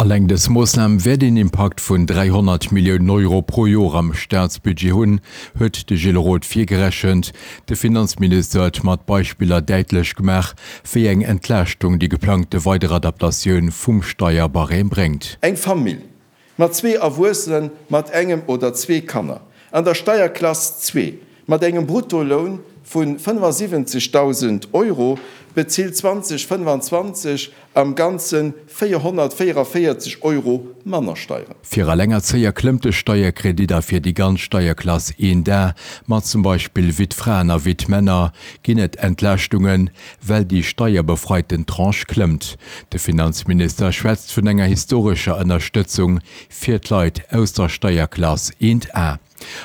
Alleng dës Moossnam wäert een Impakt vun 300 Milliounen Euro pro Joer am Staatsbudget hunn, huet de Gilles Roth virgerechent. De Finanzminister huet mat Beispiller däitlech gemaach, wéi eng Entlaaschtung déi geplangte weider Adaptatioun vum Steierbarème bréngt. Eng Famill mat zwee Erwuessene mat engem oder zwee Kanner an der Steierklass zwee mat engem Bruttoloun vu 75.000 Euro bezilt 2025 am Ganze 444 Euro manner Steieren. Fir Allengerzéier klëmmt de Steierkredit a fir déi ganz Steierklass 1 A, mat zum Beispill Wittfraen a Wittmänner, ginn et Entlaaschtungen, well déi steierbefreiten Tranche klëmmt. De Finanzminister schwätzt vun enger historescher Ënnerstëtzung fir d'Leit aus der Steierklass 1 A.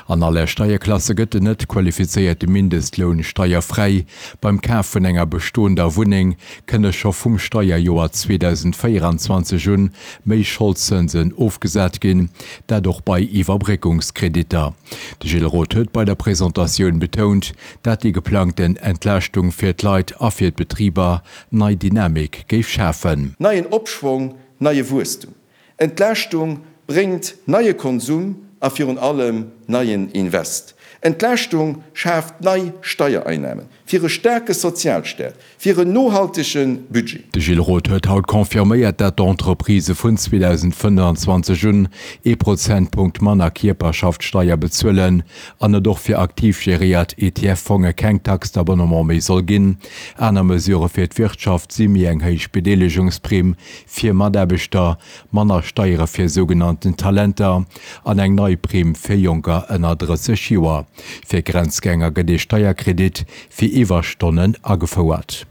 An alle Steierklasse gëtt den net qualifizéierte Mindestloun steierfräi. Beim Kaf vun enger bestoender Wunneng kënne scho vum Steierjoer 2024 un méi Scholdzënsen ofgesat ginn, dat och bei Iwwerbréckungskreditter. De Gilles Roth huet bei der Presentatioun betount, dat déi geplangten Entlaaschtung fir d'Leit a fir d'Betriber nei Dynamik géif schafen. Neien Opschwong, neie Wuesstum. Entlaaschtung bréngt neie Konsum a virun allem neien Invest. Entlaaschtung schaaft nei Steiereinnahmen fir e staarke Sozialstaat, fir en nohaltege Budget. De Gilles Roth huet haut confirméiert, dat d'Entreprisë vun 2025 un ee Prozentpunkt manner Kierperschaftssteier bezuelen an et och fir aktiv geréiert ETF-Fonge keng Taxe d'abonnement méi soll ginn. Aner Mesurë fir d'Wirtschaft si méi eng héich Bedeelegungsprimm fir Mataarbechter, manner Steiere fir sougenannten Talenter an eng nei Primm fir Jonker ënner 30 Joer. Fir Grenzgänger gëtt ee Steierkredit fir Iwwerstonnen agefouert.